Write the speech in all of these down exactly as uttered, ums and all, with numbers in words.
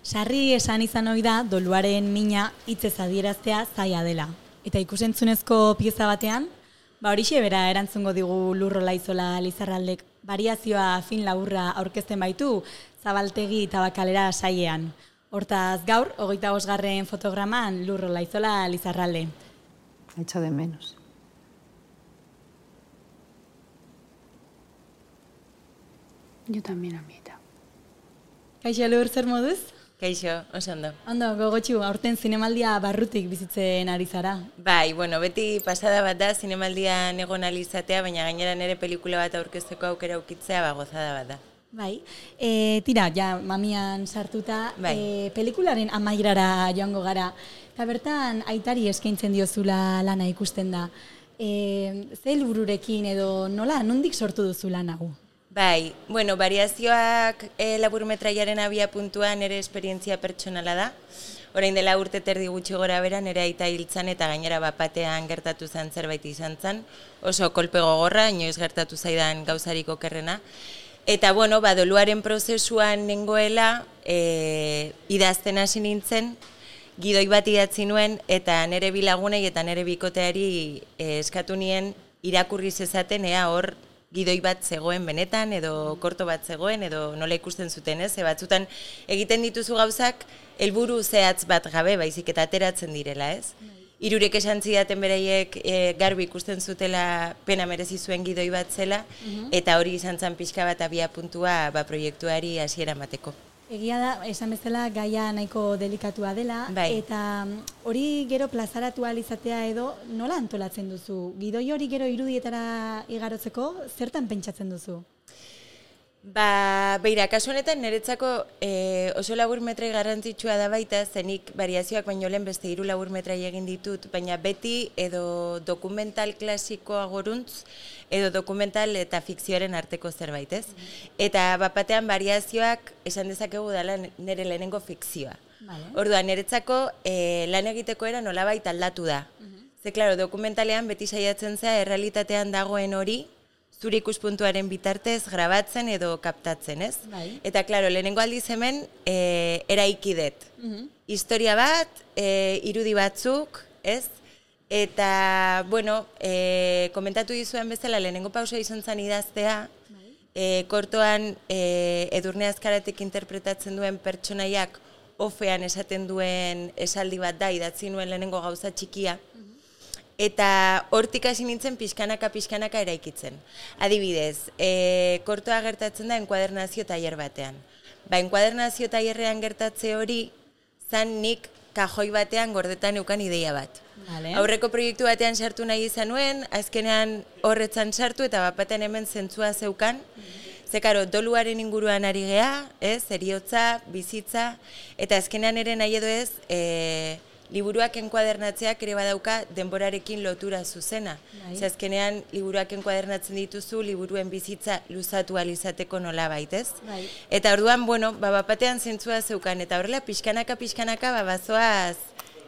Sarri esan izan ohi da doluaren mina hitzez adieraztea zaila dela. Eta ikusentzunezko pieza batean, ba horixe bera erantzungo digu Lur Olaizola Lizarraldek. Variazioa fin laburra aurkezten baitu Zabaltegi Tabakalera sailean. Hortaz gaur, hogeita bosgarren fotograman Lur Olaizola Lizarralde. Echo de menos. Yo también, amita. Kaixo Lur, zer moduz? Kaixo, oso ondo. Ondo, gogotxu, aurten zinemaldia barrutik bizitzen ari zara. Bai, bueno, beti pasada bat da zinemaldian egon alizatea, baina gainera nire pelikula bat aurkezteko aukera ukitzea, ba, gozada bat da. Bai, e, tira, ja, mamian sartuta, bai. e, pelikularen amairara joango gara. Eta bertan, aitari eskaintzen diozula lana ikusten da. E, ze helbururekin edo nola, nondik sortu duzu lan hau? Bai, bueno, variazioak e, laburmetraiaren abia puntuan nire esperientzia pertsonala da. Orain dela urte terdi gutxi gora bera, nire aita hiltzan eta gainera bapatean gertatu zen zerbait izan zen. Oso kolpe gogorra, inoiz gertatu zaidan gauzarik okerrena. Eta, bueno, badoluaren prozesuan nengoela, e, idazten hasi nintzen, gidoi bat idatzi nuen, eta nire bilagunei eta nire bikoteari e, eskatu nien irakurri zezaten, ea hor, gidoi bat zegoen benetan, edo korto bat zegoen, edo nola ikusten zuten, ez? Batzutan egiten dituzu gauzak, helburu zehatz bat gabe, baizik eta ateratzen direla, ez? Hirurek esan zidaten beraiek e, garbi ikusten zutela pena merezi zuen gidoi bat zela, eta hori izan zen pixka bat abia puntua ba, proiektuari hasiera emateko. Egia da, esan bezala gaia nahiko delikatua dela, bai. Eta hori gero plazaratu alizatea edo nola antolatzen duzu? Gidoi hori gero irudietara igarotzeko, zertan pentsatzen duzu? Ba, beira, kasu honetan niretzako e, oso laburmetrai garrantzitsua da baita, zenik variazioak baino lehen beste hiru laburmetrai egin ditut, baina beti edo dokumental klasikoa goruntz, edo dokumental eta fikzioaren arteko zerbait, ez? Eta bapatean variazioak esan dezakegu dela nire lehenengo fikzioa. Vale. Orduan, niretzako e, lan egiteko era nolabait aldatu da. Ze, klaro, dokumentalean beti saiatzen zea errealitatean dagoen hori, zure ikuspuntuaren bitartez grabatzen edo kaptatzen, ez? Bai. Eta, klaro, lehenengo aldiz hemen e, eraikidet. Uh-huh. Historia bat, e, irudi batzuk, ez? Eta, bueno, e, komentatu dizuen bezala, lehenengo pausa izan zen idaztea, bai. e, kortoan e, Edurne Azkaratek interpretatzen duen pertsonaiak ofean esaten duen esaldi bat da, idatzi nuen lehenengo gauza txikia, eta hortik hasi nintzen pixkanaka pixkanaka eraikitzen. Adibidez, e, kortoa gertatzen da enkuadernazio tailer batean. Ba, enkuadernazio tailerrean gertatze hori, zan nik kajoi batean gordetan eukan ideia bat. Vale. Aurreko proiektu batean sartu nahi izan nuen, azkenean horretzan sartu eta bapaten hemen zentzua zeukan. Ze, karo, doluaren inguruan ari gea, ez, eriotza, bizitza, eta azkenean ere nahi edo ez, e, liburuak enkuadernatzeak ere badauka denborarekin lotura zuzena. Ze azkenean liburuak enkuadernatzen dituzu, liburuen bizitza luzatu alizateko nola baitez. Bai. Eta orduan, bueno, ba, bapatean zentzua zeukan, eta horrela pixkanaka, pixkanaka, ba, bazoaz,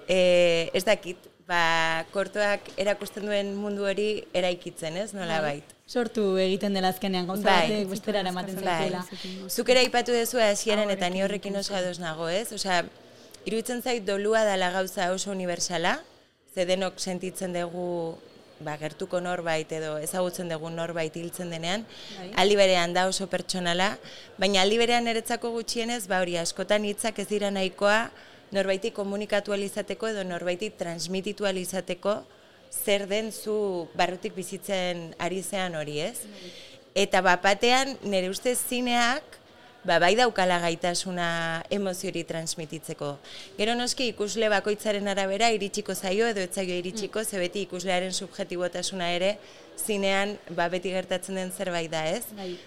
e, ez dakit, ba, kortoak erakusten duen mundu hori eraikitzen, ez, nola bait. Sortu egiten dela azkenean gauza bai. batek besterara ematen zaitela. Zuk ere aipatu duzu hasieran eta ni horrekin oso ados nago, ez? Osea, iruditzen zait dolua dela gauza oso universala, ze denok sentitzen dugu ba, gertuko norbait edo ezagutzen dugu norbait hiltzen denean, bai. Aldi berean da oso pertsonala, baina aldi berean niretzako gutxienez, ba hori askotan hitzak ez dira nahikoa norbaiti komunikatu alizateko edo norbaiti transmititu alizateko zer den zu barrutik bizitzen ari zean hori, ez? Eta bapatean nire ustez zineak ba, bai daukala gaitasuna emoziori transmititzeko. Gero noski ikusle bakoitzaren arabera iritsiko zaio edo ez zaio iritsiko, ze beti ikuslearen subjetibotasuna ere zinean ba, beti gertatzen den zerbait da, ez? Bai.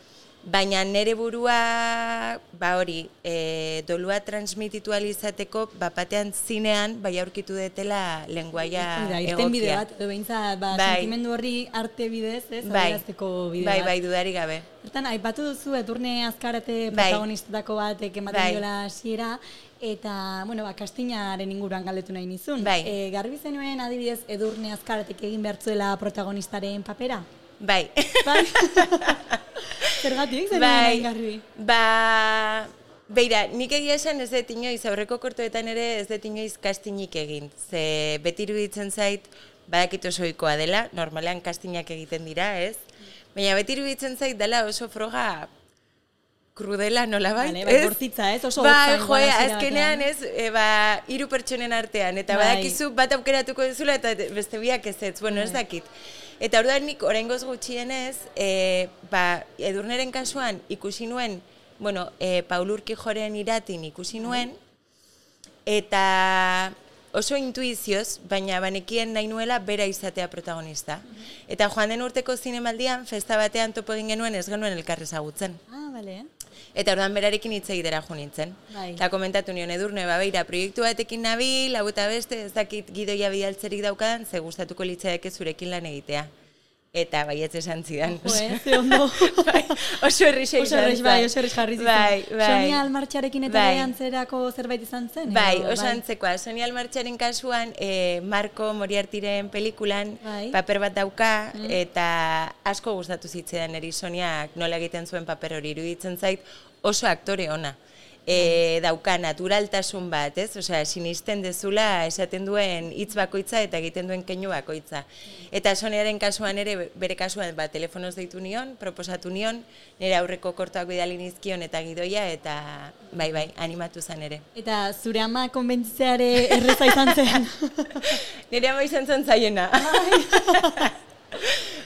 Baina nire burua, ba hori, e, dolua transmititu alizateko, bapatean zinean, bai aurkitu detela lenguaia egokia. Irten bide bat, edo behintzat, ba, bai. Sentimendu horri arte bidez, ez, bai. adierazteko bide bai, bat. Bai, dudari gabe. Bertan, aipatu duzu, Edurne Azkarate bai. protagonistetako batek ematen bai. diola hasiera, eta, bueno, ba, kastinaren inguruan galdetu nahi nizun. Bai. E, garbi zenuen, adibidez, Edurne Azkaratek egin behartzuela protagonistaren papera? Bai. Bai. Zergatik, zer bai. nahi garbi? Ba, Beira, nik egia esan ez dut inoiz, aurreko kortoetan ere ez dut inoiz kastinik egin. Ze beti iruditzen zait, badakit oso ohikoa dela, normalean kastinak egiten dira, ez? Baina beti iruditzen zait dela oso froga krudela nolabait, vale, ez? Bai, bortitza, ez? Oso bai, hotza, joe, igual hasiera azkenean batean. ez, e, ba, hiru pertsonen artean, eta Bai. badakizu bat aukeratuko duzula eta beste biak ez ez, bueno, ez Bai. dakit. Eta orduan nik oraingoz gutxienez, e, ba, Edurneren kasuan ikusi nuen, bueno, e, Paul Urquijoren iratin ikusi nuen, eta oso intuizioz, baina banekien nahi nuela bera izatea protagonista. Eta joan den urteko zinemaldian, festa batean topo egin genuen ez genuen elkar ezagutzen. Ah, bale. Eta orduan berarekin hitz egitera jo nintzen. Bai. Eta komentatu nion Edurne, ba, beira, proiektu batekin nabil, hau eta beste, ez dakit gidoia bidaltzerik daukadan, ze gustatuko litzaidake zurekin lan egitea. Eta baietz esan zidan. Jo, eh, ze ondo. Bai, oso errixe Oso izan errex, zen. bai, oso errex jarri zitzen. Bai, bai. Sonia Almartxarekin eta Bai. bai. antzerako zerbait izan zen? Bai, edo, oso antzekoa. Sonia Almartxaren kasuan, eh, Marco Moriartiren pelikulan Bai. paper bat dauka, eta asko gustatu zitzaidan eri Soniak nola egiten zuen paper hori iruditzen zait, oso aktore ona. E, dauka naturaltasun bat, ez? Osea, sinisten dezula esaten duen hitz bakoitza eta egiten duen keinu bakoitza. Eta Soniaren kasuan ere, bere kasuan, ba, telefonoz deitu nion, proposatu nion, nire aurreko kortoak bidali nizkion eta gidoia, eta bai, bai, animatu zen ere. Eta zure ama konbentzitzeare erreza izan zen. Nire ama izan zen zaiena.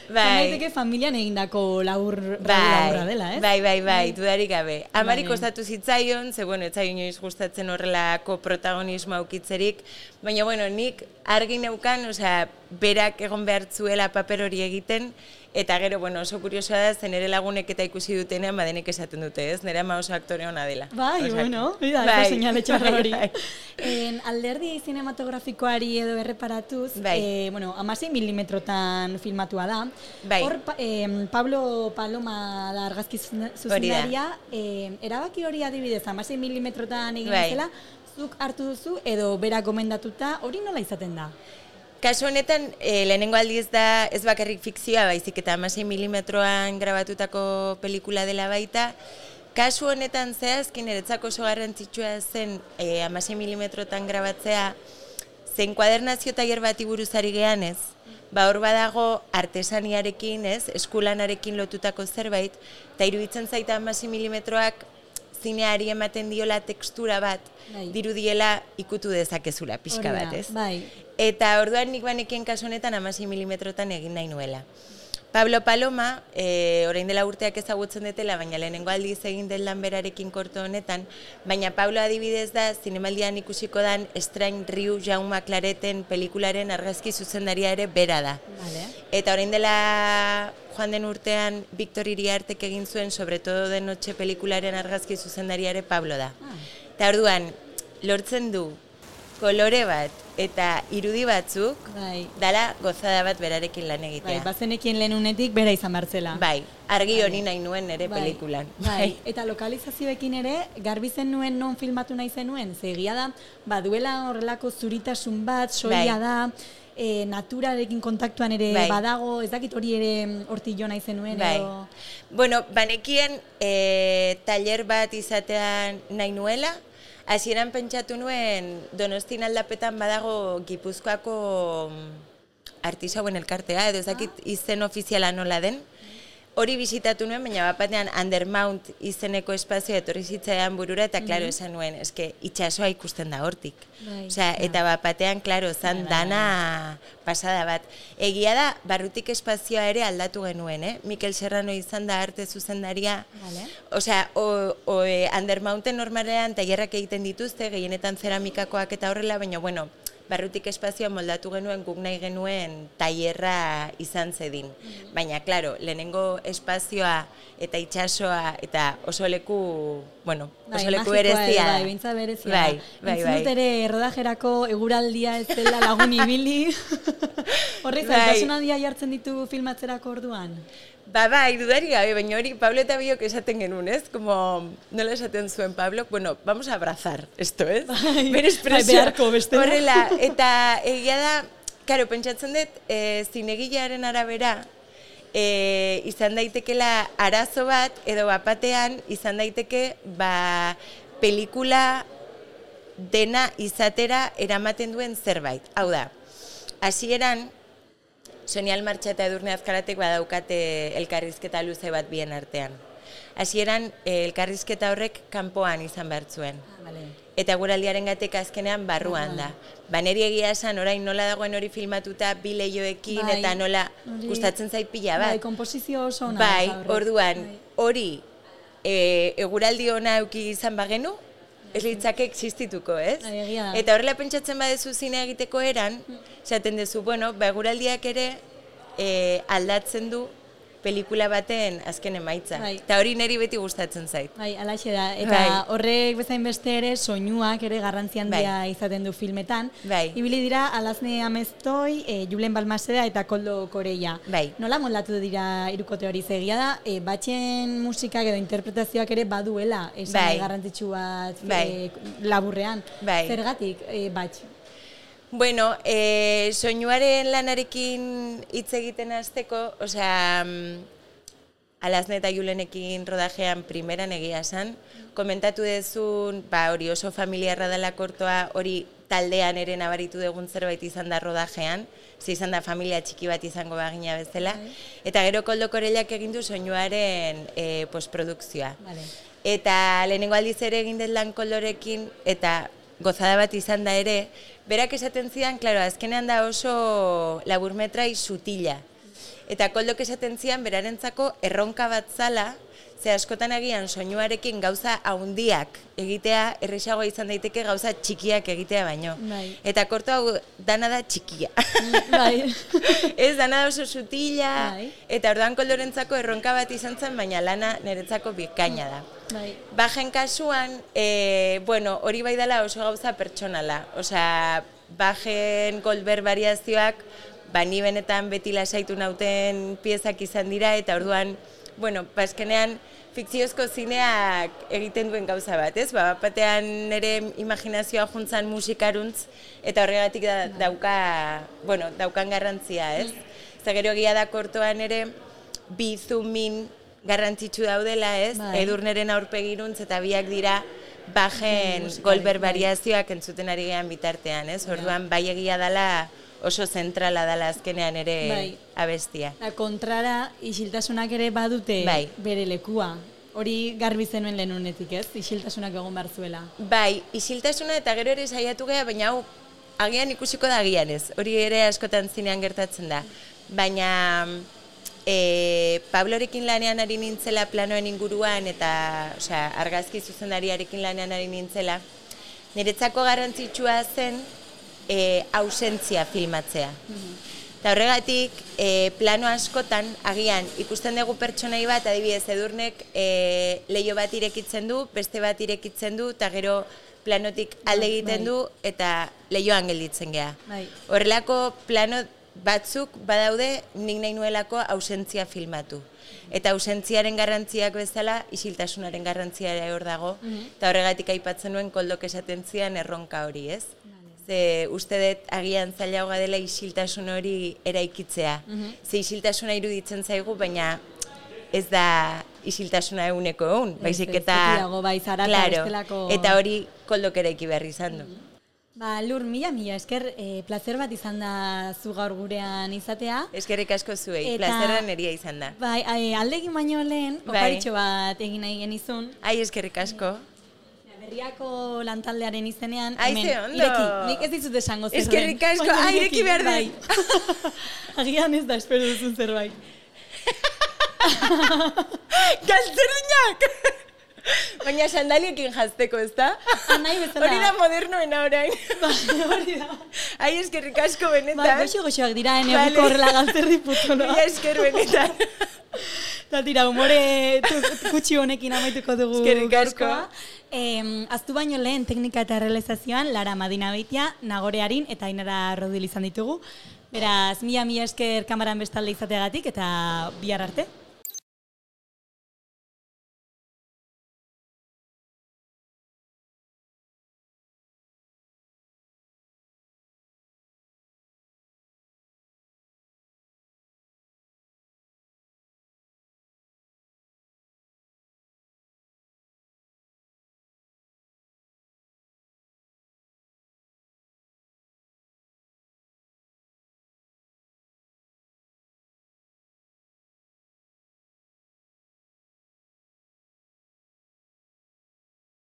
Bai. Zaiteke familian egindako labur, laburra dela, ez? Bai, bai, bai, dudarik gabe. Amari Bai. kostatu zitzaion, ze, bueno, ez zaio inoiz gustatzen horrelako protagonismo aukitzerik, baina, bueno, nik argi neukan, osea, berak egon behar zuela paper hori egiten, eta gero, bueno, oso kuriosoa da, zen ere lagunek eta ikusi dutenean, badenek esaten dute, ez? Nire ama oso aktore ona dela. Bai, Osea, bueno, bida, bai, eko seinale txarra bai, hori. bai. En, alderdi zinematografikoari edo erreparatuz, Bai. eh, bueno, amasei milimetrotan filmatua da. Bai. Hor, pa, eh, Pablo Paloma da argazki zuzendaria, eh, erabaki hori adibidez, amasei milimetrotan egin Bai. zela, zuk hartu duzu edo bera gomendatuta, hori nola izaten da? Kasu honetan, e, lehenengo aldiz da ez bakarrik fikzioa, baizik eta hamasei milimetroan grabatutako pelikula dela baita. Kasu honetan zehazkin eretzako oso garrantzitsua zen e, hamasei milimetrotan grabatzea, zen kuadernazio tailer bati buruz ari gehan ez, ba hor badago artesaniarekin ez, eskulanarekin lotutako zerbait, eta iruditzen zaita hamasei milimetroak zineari ematen diola tekstura bat, Bai. dirudiela ikutu dezakezula pixka Hori da, bat ez. bai. Eta orduan nik banekien kasu honetan hamasei milimetrotan egin nahi nuela. Pablo Paloma, e, orain dela urteak ezagutzen detela, baina lehenengo aldiz egin den lan berarekin korto honetan, baina Pablo adibidez da, zinemaldian ikusiko dan Estrain Riu Jaume Clareten pelikularen argazki zuzendaria ere bera da. Vale. Eta orain dela joan den urtean Victor Iriartek egin zuen Sobre todo de noche pelikularen argazki zuzendaria ere Pablo da. Ah. Eta orduan, lortzen du kolore bat eta irudi batzuk, Bai. dala gozada bat berarekin lan egitea. Bai, bazenekien lehen unetik bera izan bertzela. Bai, argi hori nahi nuen nire Bai, pelikulan. Bai. Eta lokalizazioekin ere, garbi zen nuen non filmatu nahi zenuen. Ze egia da, ba, duela horrelako zuritasun bat, soila Bai. da, e, naturarekin kontaktuan ere Bai. badago, ez dakit hori ere hortik jo nahi zenuen. Bai. Edo... Bueno, banekien e, taller bat izatean nahi nuela, hasieran pentsatu nuen Donostin aldapetan badago Gipuzkoako artisauen elkartea, edo ez dakit izen ofiziala nola den. Hori bisitatu nuen, baina bat batean Undermount izeneko espazioa etorri zitzaidan burura, eta klaro esan nuen, eske itxasoa ikusten da hortik. Bai, Osea, eta bat batean, klaro, zan dana pasada bat. Egia da, barrutik espazioa ere aldatu genuen, eh? Mikel Serrano izan da arte zuzendaria. Vale. Osea, o, o, e, Undermounten normalean tailerrak egiten dituzte, gehienetan zeramikakoak eta horrela, baina, bueno, barrutik espazioa moldatu genuen, guk nahi genuen tailerra izan zedin. Baina, klaro, lehenengo espazioa eta itxasoa eta oso leku, bueno, oso leku berezia. Bai, bintza berezia. Bai, bai, Entzun dut bai. ere rodajerako eguraldia ez dela lagun ibili. Horri Bai. zaitasun handia jartzen ditu filmatzerako orduan. Ba, bai, dudari gabe, baina hori Pablo eta biok esaten genuen, ez? Como, nola esaten zuen Pablo, bueno, vamos a abrazar esto, ez? Bai, Bere bai, espresioa. beharko bestela. Horrela, eta egia da, karo, pentsatzen dut, e, zinegilearen arabera, e, izan daitekela arazo bat, edo bapatean izan daiteke, ba, pelikula dena izatera eramaten duen zerbait. Hau da, hasieran Sonia Almartxa eta Edurne Azkaratek badaukate elkarrizketa luze bat bien artean. Hasieran elkarrizketa horrek kanpoan izan behar zuen. Ah, vale. Eta guraldiaren gatek azkenean barruan da. Ba, neri egia esan, orain nola dagoen hori filmatuta bi lehioekin bai, eta nola hori, gustatzen zait pila bat. Bai, komposizio oso ona. Bai, da, horrek. orduan, Bai. hori e, eguraldi ona euki izan bagenu, ez litzake existituko, ez? Bai, egia da. Eta horrela pentsatzen badezu zine egiteko eran, esaten duzu, bueno, ba, eguraldiak ere e, aldatzen du pelikula baten azken emaitza. Bai. Eta hori niri beti gustatzen zait. Bai, alaxe da. Eta Bai. horrek bezain beste ere soinuak ere garrantzi handia Bai. izaten du filmetan. Bai. Ibili dira Alazne Ameztoi, e, Julen Balmaseda eta Koldo Koreia. Bai. Nola moldatu dira hirukote hori zegia da, e, batxen musikak edo interpretazioak ere baduela esan Bai. garrantzitsu bat Bai. e, laburrean. Bai. Zergatik e, batx? Bueno, e, soinuaren lanarekin hitz egiten hasteko, osea, Alazne eta Julenekin rodajean primeran egia esan, komentatu dezun, ba, hori oso familiarra dela kortoa, hori taldean ere nabaritu dugun zerbait izan da rodajean, ze izan da familia txiki bat izango bagina bezala, eta gero Koldo Korellak egin du soinuaren e, postprodukzioa. Vale. Eta lehenengo aldiz ere egin den lan Koldorekin, eta gozada bat izan da ere, berak esaten zidan, klaro, azkenean da oso laburmetrai sutila. Eta Koldok esaten zidan, berarentzako erronka bat zala, ze askotan agian soinuarekin gauza haundiak egitea, erresagoa izan daiteke gauza txikiak egitea baino. Bai. Eta korto hau dana da txikia. Bai. Ez, dana da oso sutila, Bai. eta orduan Koldorentzako erronka bat izan zen, baina lana niretzako bikaina da. Bai. Bajen kasuan, e, bueno, hori bai dela oso gauza pertsonala. Osea, bajen Goldberg variazioak, ba, ni benetan beti lasaitu nauten piezak izan dira, eta orduan, bueno, bazkenean fikziozko zineak egiten duen gauza bat, ez? Ba, batean nire imaginazioa juntzan musikaruntz, eta horregatik da, dauka, bueno, daukan garrantzia, ez? Zagero egia da kortoan ere, bi zumin garrantzitsu daudela, ez? Bai. Edurneren aurpegiruntz eta biak dira bajen Goldberg variazioak entzuten ari gehan bitartean, ez? Orduan, bai egia dela oso zentrala dela azkenean ere Bai. abestia. Da, kontrara, isiltasunak ere badute Bai. bere lekua. Hori garbi zenuen lehenunetik, ez? Isiltasunak egon behar zuela. Bai, isiltasuna eta gero ere saiatu geha, baina hau agian ikusiko da agian ez. Hori ere askotan zinean gertatzen da. Baina e, Pablorekin lanean ari nintzela planoen inguruan eta osea, argazki zuzendariarekin lanean ari nintzela, niretzako garrantzitsua zen e, ausentzia filmatzea. Eta horregatik, e, plano askotan, agian, ikusten dugu pertsonai bat, adibidez, Edurnek e, leiho bat irekitzen du, beste bat irekitzen du, eta gero planotik alde egiten du, eta leihoan gelditzen geha. Bai. Horrelako plano batzuk badaude nik nahi nuelako ausentzia filmatu. Eta ausentziaren garrantziak bezala, isiltasunaren garrantzia ere hor dago, eta horregatik aipatzen nuen Koldok esaten zidan erronka hori, ez? Ze uste dut agian zailagoa dela isiltasun hori eraikitzea. Ze isiltasuna iruditzen zaigu, baina ez da isiltasuna eguneko egun, baizik eta... Betiago, bai, zarata Claro, bestelako... eta hori Koldok eraiki behar izan du. Ba, Lur, mila, mila, esker, e, plazer bat izan da zu gaur gurean izatea. Eskerrik asko zuei, Eta- plazerra neria izan da. Bai, e, aldegin baino lehen, Bai. oparitxo bat egin nahi genizun. Ai, eskerrik asko. Berriako lantaldearen izenean, Ai, hemen, ze ondo. ireki, nik ez dizut esango zer den. Eskerrik asko, Baina ai, ireki behar bai. dut. Agian ez da, espero duzun zerbait. Galtzerdinak! Baina sandaliekin jazteko, ez da? Ah, nahi bezala. Hori da modernoena orain. Bai, hori da. Ai, eskerrik asko Bai, benetan. goxo-goxoak dira, Vale. enegiko horrela galtzerri putonoa. Mila esker benetan. Eta tira, humore tu- kutsi honekin amaituko dugu Eskerrik asko. gaurkoa. Em, aztu baino lehen teknika eta realizazioan Lara Madina Beitia, Nagorearin eta Ainara Rodil izan ditugu. Beraz, mila mila esker kamaran bestalde izateagatik eta bihar arte.